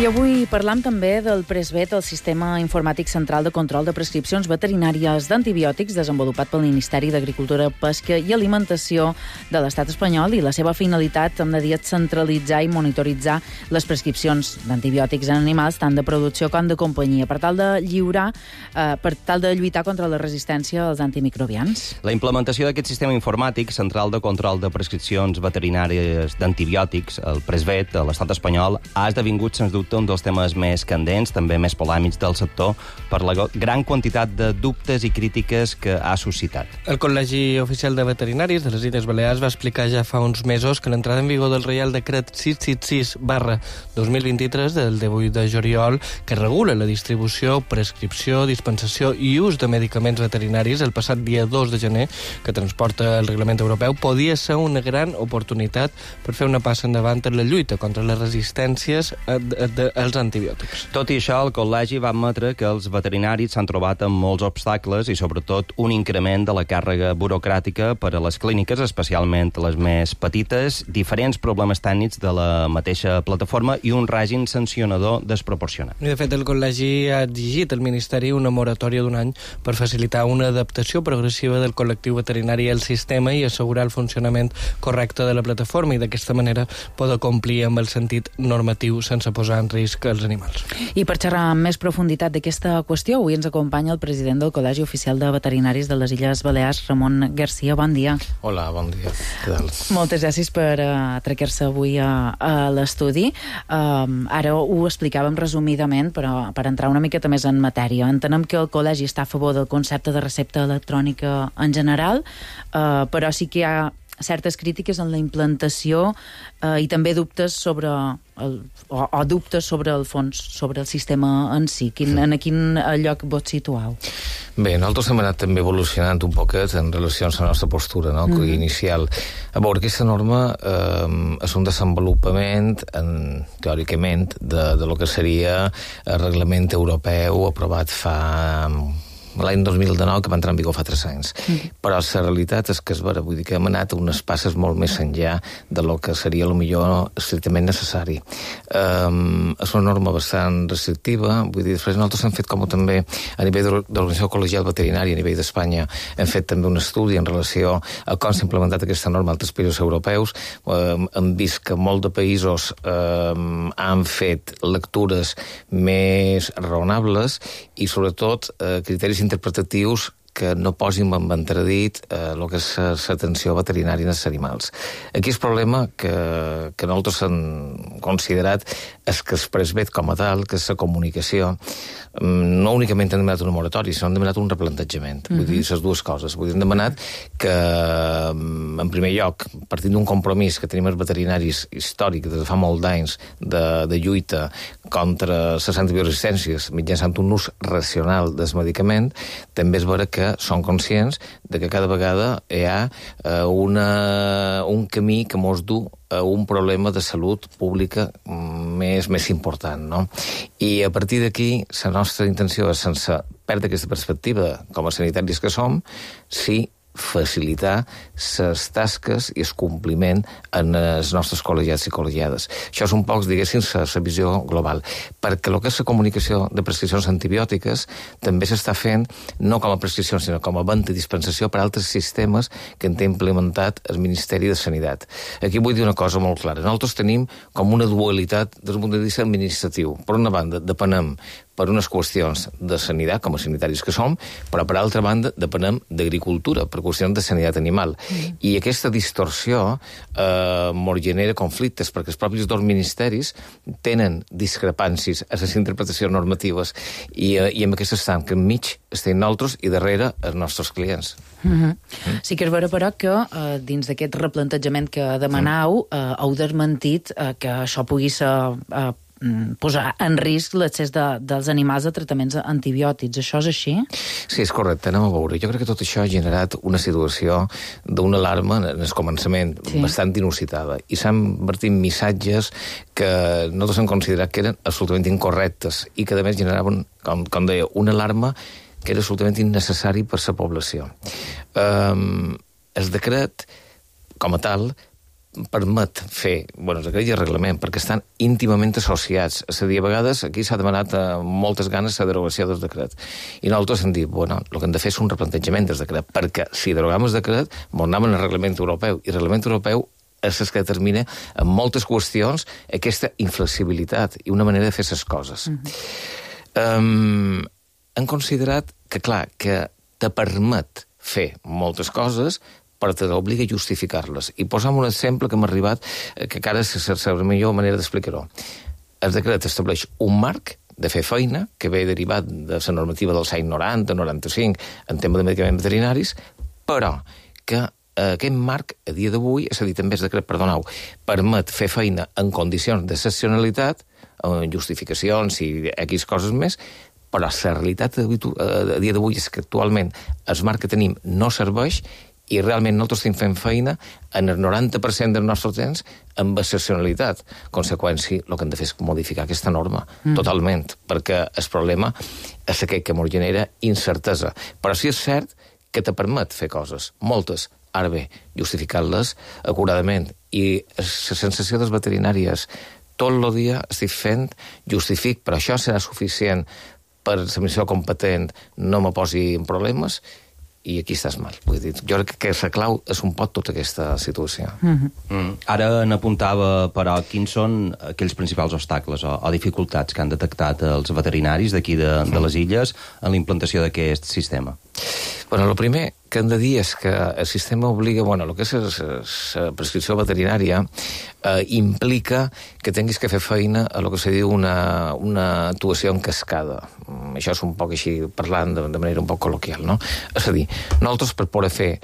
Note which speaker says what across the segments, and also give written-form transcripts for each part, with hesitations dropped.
Speaker 1: I avui parlam també del PRESVET, el Sistema Informàtic Central de Control de Prescripcions Veterinàries d'Antibiòtics, desenvolupat pel Ministeri d'Agricultura, Pesca i Alimentació de l'Estat espanyol, i la seva finalitat, hem de dir, és centralitzar i monitoritzar les prescripcions d'antibiòtics en animals, tant de producció com de companyia, per tal de lluitar contra la resistència als antimicrobians.
Speaker 2: La implementació d'aquest sistema informàtic central de control de prescripcions veterinàries d'antibiòtics, el PRESVET, a l'Estat espanyol, ha esdevingut, sens dubte, un dels temes més candents, també més polèmics del sector, per la gran quantitat de dubtes i crítiques que ha suscitat.
Speaker 3: El Col·legi Oficial de Veterinaris de les Illes Balears va explicar ja fa uns mesos que l'entrada en vigor del Reial Decret 666/2023 del 18 de juliol, que regula la distribució, prescripció, dispensació i ús de medicaments veterinaris el passat dia 2 de gener, que transporta el reglament europeu, podia ser una gran oportunitat per fer una passa endavant en la lluita contra les resistències als antibiòtics.
Speaker 2: Tot i això, el col·legi va admetre que els veterinaris s'han trobat amb molts obstacles i, sobretot, un increment de la càrrega burocràtica per a les clíniques, especialment les més petites, diferents problemes tècnics de la mateixa plataforma i un règim sancionador desproporcionat.
Speaker 3: I, de fet, el col·legi ha exigit al Ministeri una moratòria d'un any per facilitar una adaptació progressiva del col·lectiu veterinari al sistema i assegurar el funcionament correcte de la plataforma, i d'aquesta manera poder complir amb el sentit normatiu sense posar en risc els animals.
Speaker 1: I per xerrar amb més profunditat d'aquesta qüestió, avui ens acompanya el president del Col·legi Oficial de Veterinaris de les Illes Balears, Ramon Garcia. Bon dia.
Speaker 4: Hola, bon dia. Què tal?
Speaker 1: Moltes gràcies per atracar-se avui a l'estudi. Ara ho explicàvem resumidament, però per entrar una miqueta més en matèria. Entenem que el Col·legi està a favor del concepte de recepta electrònica en general, però sí que hi ha certes crítiques en la implantació i també dubtes sobre dubtes sobre el fons, sobre el sistema en si. En quin lloc vos situau?
Speaker 4: Bé, nosaltres hem anat també evolucionant un poquet en relació a la nostra postura, no? Inicial. A veure, aquesta norma és un desenvolupament, teòricament, de lo que seria el reglament europeu aprovat fa l'any 2019, que va entrar en vigor fa 3 anys. Però la realitat és que vull dir que hem anat unes passes molt més enllà de lo que seria el millor estrictament necessari. És una norma bastant restrictiva, vull dir, després nosaltres hem fet com també a nivell de l'Organització Col·legial Veterinària a nivell d'Espanya, hem fet també un estudi en relació a com s'ha implementat aquesta norma a altres països europeus. Hem vist que molts de països han fet lectures més raonables i, sobretot, criteris interpretatius que no posin en entredit el que és l'atenció veterinària als animals. Aquí el problema que nosaltres hem considerat és que el PRESVET com a tal, que és la comunicació, no únicament hem demanat una moratòria, sinó hem demanat un replantejament. Vull dir, les dues coses. Vull dir, hem demanat que, en primer lloc, partint d'un compromís que tenim els veterinaris històric des de fa molt d'anys de lluita contra les antibioresistències mitjançant un ús racional del medicament, també és vera que són conscients de que cada vegada hi ha un camí que mos du a un problema de salut pública més important, no? I a partir d'aquí, la nostra intenció és, sense perdre aquesta perspectiva com a sanitaris que som, sí facilitar les tasques i el compliment en els nostres col·legiats i col·legiades. Això és un poc, diguéssim, la visió global, perquè el que és la comunicació de prescripcions antibiòtiques també s'està fent no com a prescripcions, sinó com a venda i dispensació per altres sistemes que en té implementat el Ministeri de Sanitat. Aquí vull dir una cosa molt clara. Nosaltres tenim com una dualitat des del punt de vista administratiu. Per una banda, depenem per unes qüestions de sanitat, com a sanitaris que som, però per altra banda depenem d'agricultura, per qüestions de sanitat animal. I aquesta distorsió mos genera conflictes, perquè els propis dos ministeris tenen discrepàncies a les interpretacions normatives i amb aquesta estan que enmig estem nosaltres i darrere els nostres clients.
Speaker 1: Sí que és vera, però, que dins d'aquest replantejament que demanau heu desmentit que això pugui ser posar en risc l'accés dels animals a tractaments antibiòtics. Això és així?
Speaker 4: Sí, és correcte. Anem a veure. Jo crec que tot això ha generat una situació d'una alarma en el començament bastant inusitada. I s'han vertit missatges que nosaltres hem considerat que eren absolutament incorrectes i que, a més, generaven, com deia, una alarma que era absolutament innecessari per la població. El decret, com a tal, permet fer, el decret i el reglament, perquè estan íntimament associats. És a dir, a vegades aquí s'ha demanat moltes ganes la derogació del decret. I nosaltres hem dit, el que hem de fer és un replantejament del decret, perquè si derogam el decret, anem al reglament europeu, i el reglament europeu és el que determina en moltes qüestions aquesta inflexibilitat i una manera de fer les coses. Han considerat que, clar, que te permet fer moltes coses, però t'obliga a justificar-les. I posam un exemple que m'ha arribat, que encara és la millor manera d'explicar-ho. El decret estableix un marc de fer feina, que ve derivat de la normativa dels anys 90-95 en tema de medicaments veterinaris, però que aquest marc, a dia d'avui, és a dir, també el decret, permet fer feina en condicions d'excepcionalitat, en justificacions i X coses més, però la realitat a dia d'avui és que actualment el marc que tenim no serveix i realment nosaltres estem fent feina en el 90% del nostre temps amb excepcionalitat. Conseqüència, el que hem de fer és modificar aquesta norma, totalment, perquè el problema és aquest que ens genera incertesa. Però sí és cert que te permet fer coses, moltes, ara bé, justificar-les acuradament. I la sensació dels veterinàries, tot el dia estic fent, justific, però això serà suficient per l'administració competent, no me posi en problemes, i aquí estàs mal. Vull dir, jo crec que la clau és un poc tota aquesta situació.
Speaker 2: Ara n'apuntava, però, quins són aquells principals obstacles o dificultats que han detectat els veterinaris d'aquí de les illes en la implantació d'aquest sistema?
Speaker 4: El primer que hem de dir és que el sistema obliga, el que és la prescripció veterinària implica que tinguis que fer feina a el que se diu una actuació en cascada. Això és un poc així, parlant de manera un poc col·loquial, no? És a dir, nosaltres per poder fer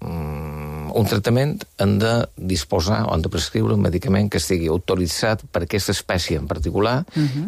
Speaker 4: un tractament hem de disposar o hem de prescriure un medicament que estigui autoritzat per aquesta espècie en particular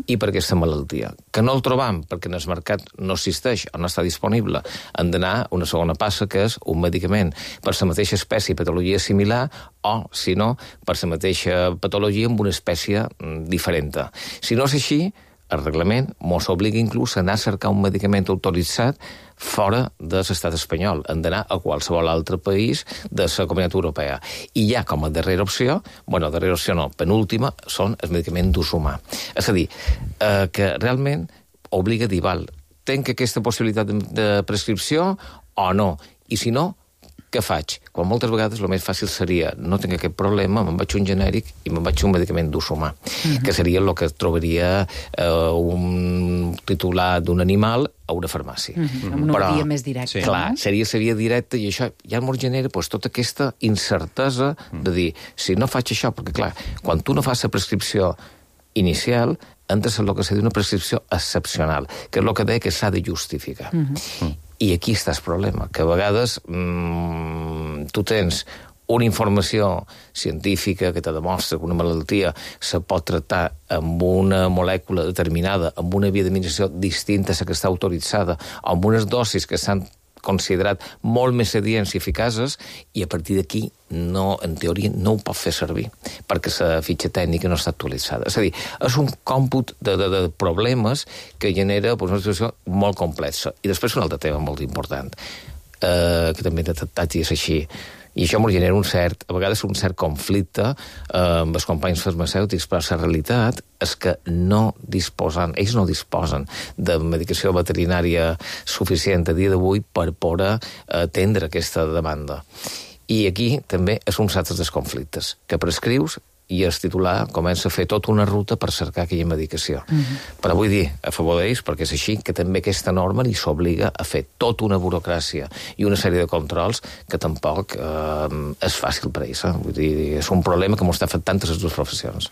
Speaker 4: i per aquesta malaltia. Que no el trobam perquè en el mercat no existeix o no està disponible, hem d'anar a una segona passa, que és un medicament per la mateixa espècie i patologia similar o, si no, per la mateixa patologia amb una espècie diferent. Si no és així, el reglament ens obliga inclús a anar a cercar un medicament autoritzat fora de l'estat espanyol. Hem d'anar a qualsevol altre país de la Comunitat Europea. I ja com a darrera opció, darrera opció no, penúltima, són els medicaments d'ús humà. És a dir, que realment obliga a dir, tenc aquesta possibilitat de prescripció o no? I si no, què faig? Quan moltes vegades el més fàcil seria no tinc aquest problema, me'n vaig un genèric i me'n vaig un medicament d'ús humà, que seria el que trobaria un titular d'un animal a una farmàcia.
Speaker 1: Amb una via més directa.
Speaker 4: Clar, seria la via directa i això ja ens genera tota aquesta incertesa de dir, si no faig això, perquè clar, quan tu no fas la prescripció inicial, entres en el que seria una prescripció excepcional, que és el que deia que s'ha de justificar. I aquí està el problema, que a vegades tu tens una informació científica que te demostra que una malaltia se pot tractar amb una molècula determinada, amb una via d'administració distinta a la que està autoritzada, amb unes dosis que s'han considerat molt més adients i eficaces, i a partir d'aquí, en teoria, no ho pot fer servir, perquè la fitxa tècnica no està actualitzada. És a dir, és un còmput de problemes que genera una situació molt complexa. I després un altre tema molt important, que també he detectat i és així, i això ens genera a vegades un cert conflicte amb els companys farmacèutics, però la realitat és que ells no disposen de medicació veterinària suficient a dia d'avui per poder atendre aquesta demanda. I aquí també és un altre dels conflictes, que prescrius i el titular comença a fer tota una ruta per cercar aquella medicació. Però vull dir, a favor d'ells, perquè és així, que també aquesta norma li s'obliga a fer tota una burocràcia i una sèrie de controls que tampoc és fàcil per ells. Vull dir, és un problema que m'ho està afectant a les dues professions.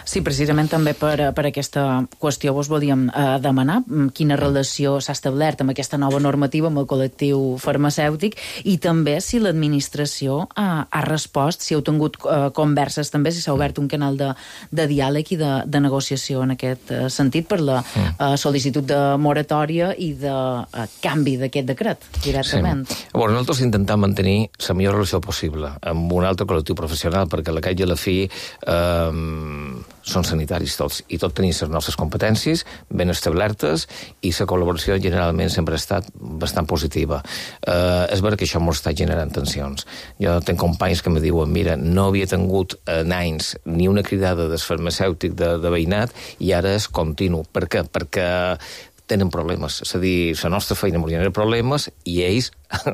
Speaker 1: Sí, precisament també per aquesta qüestió vos volíem demanar quina relació s'ha establert amb aquesta nova normativa amb el col·lectiu farmacèutic i també si l'administració ha respost, si heu tingut converses també, si s'ha obert un canal de diàleg i de negociació en aquest sentit per la sol·licitud de moratòria i de canvi d'aquest decret directament.
Speaker 4: Sí. Nosaltres intentem mantenir la millor relació possible amb un altre col·lectiu professional, perquè a la cap i a la fi són sanitaris tots, i tots tenim les nostres competències ben establertes, i la col·laboració generalment sempre ha estat bastant positiva. És vera que això m'ho està generant tensions. Jo tinc companys que me diuen, mira, no havia tingut en anys ni una cridada del farmacèutic de veïnat, i ara és continu. Per què? Perquè tenen problemes. És a dir, la nostra feina ens genera problemes i ells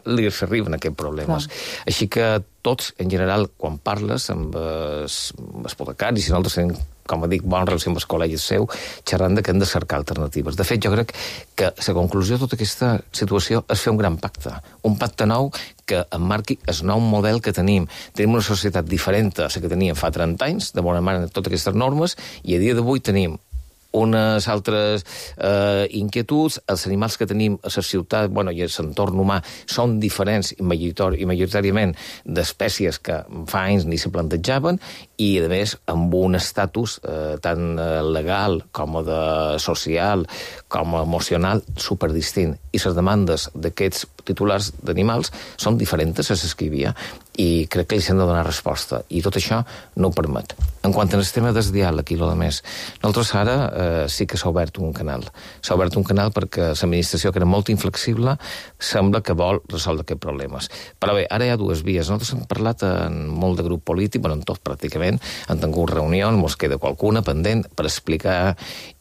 Speaker 4: li arriben aquests problemes. Així que tots, en general, quan parles amb els apotecaris, i nosaltres tenim, com dic, bona relació amb els col·legis seu, xerrant que hem de cercar alternatives. De fet, jo crec que la conclusió de tota aquesta situació és fer un gran pacte. Un pacte nou que emmarqui el nou model que tenim. Tenim una societat diferent a la que teníem fa 30 anys, de bona manera, totes aquestes normes, i a dia d'avui tenim unes altres inquietuds. Els animals que tenim a la ciutat, i a l'entorn humà, són diferents i majoritàriament d'espècies que fa anys ni se plantejaven, i, a més, amb un estatus tant legal com de social com emocional superdistint. I les demandes d'aquests titulars d'animals són diferents a les que hi havia, i crec que ells han de donar resposta, i tot això no ho permet. En quant al tema del diàleg i el més, nosaltres ara sí que s'ha obert un canal. S'ha obert un canal perquè l'administració, que era molt inflexible, sembla que vol resoldre aquests problemes. Però bé, ara hi ha dues vies. Nosaltres hem parlat en molt de grup polític, en tot pràcticament, han tingut reunions, ens queda qualcuna pendent per explicar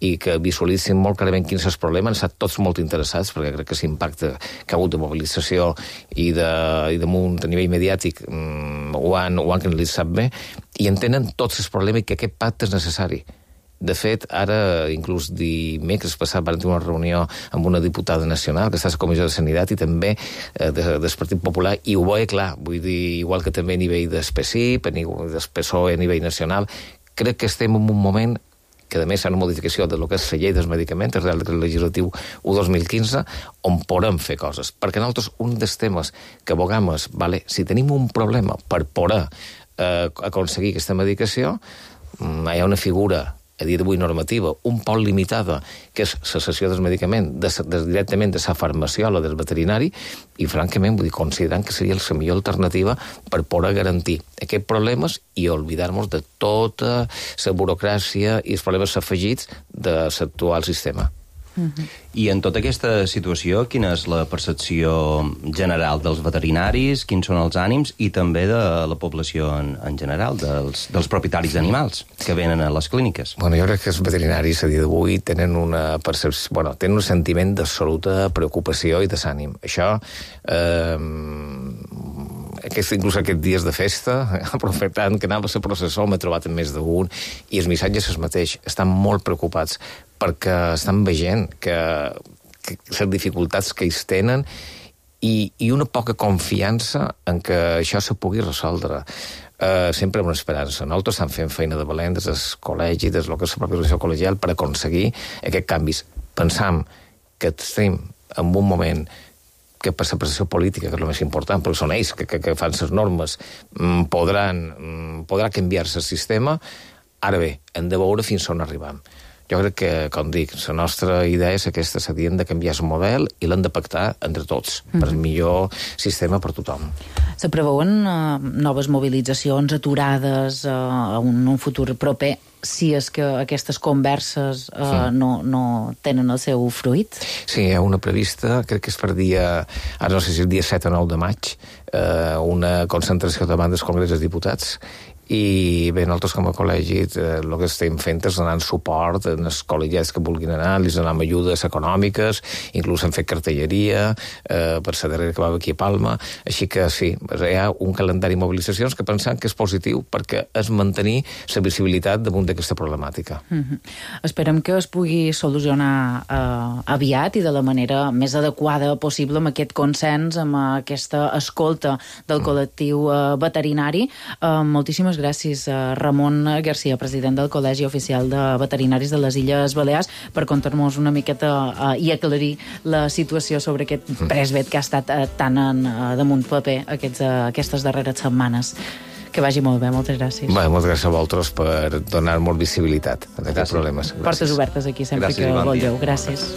Speaker 4: i que visualitzin molt clarament quins són els problemes. Han estat tots molt interessats, perquè crec que l'impacte que ha hagut de mobilització i damunt a nivell mediàtic ho han canalitzat bé, i entenen tots els problemes i que aquest pacte és necessari. De fet, ara, inclús dimecres passat, vam tenir una reunió amb una diputada nacional que està a la Comissió de Sanitat i també del Partit Popular, i ho veia clar. Vull dir, igual que també a nivell del PSIP, a nivell del PSOE, a nivell nacional, crec que estem en un moment que a més hi ha una modificació de lo que és la llei dels medicaments, el Real Decret Legislatiu 1/2015, on podem fer coses. Perquè nosaltres, un dels temes que abogam és, si tenim un problema per poder aconseguir aquesta medicació, hi ha una figura a dia d'avui normativa, un poc limitada, que és la cessió del medicament directament de la farmaciola del veterinari, i francament considerant que seria la millor alternativa per poder garantir aquests problemes i oblidar-nos de tota la burocràcia i els problemes afegits de l'actual sistema.
Speaker 2: I en tota aquesta situació, quina és la percepció general dels veterinaris, quins són els ànims, i també de la població en general, dels propietaris d'animals que venen a les clíniques?
Speaker 4: Jo crec que els veterinaris a dia d'avui tenen una percepció, tenen un sentiment d'absoluta preocupació i desànim. Això, inclús aquests dies de festa, aprofitant que anava a la processó, m'he trobat amb més d'un, i els missatges es mateix, estan molt preocupats perquè estan veient que les dificultats que ells tenen i una poca confiança en que això se pugui resoldre. Sempre amb una esperança. Nosaltres estem fent feina de valent des del col·legi, des del que és la pròpia organització col·legial, per aconseguir aquests canvis. Pensam que estem en un moment que per la prestació política, que és el més important, perquè són ells que fan les normes, podrà canviar-se el sistema. Ara bé, hem de veure fins on arribam. Jo crec que, com dic, la nostra idea és aquesta, s'havien de canviar el model i l'hem de pactar entre tots, per el millor sistema per tothom.
Speaker 1: Se preveuen noves mobilitzacions, aturades en un futur proper, si és que aquestes converses no tenen el seu fruit?
Speaker 4: Sí, hi ha una prevista, crec que és per ara no sé si el dia 7 o 9 de maig, una concentració davant del Congrés dels Diputats, i bé, nosaltres com a col·legi el que estem fent és donant suport als col·legiats que vulguin anar, els donem ajudes econòmiques, inclús hem fet cartelleria per la darrera que va aquí a Palma, així que sí, hi ha un calendari de mobilitzacions que pensem que és positiu perquè és mantenir la visibilitat damunt d'aquesta problemàtica.
Speaker 1: Esperem que es pugui solucionar aviat i de la manera més adequada possible, amb aquest consens, amb aquesta escolta del col·lectiu veterinari. Moltíssimes gràcies, Ramon Garcia, president del Col·legi Oficial de Veterinaris de les Illes Balears, per contar-nos una miqueta i aclarir la situació sobre aquest presvet que ha estat tan damunt paper aquestes darreres setmanes. Que vagi molt bé, moltes gràcies.
Speaker 4: Moltes gràcies a vosaltres per donar-nos visibilitat a aquests problemes.
Speaker 1: Portes obertes aquí sempre que vulgueu. Gràcies.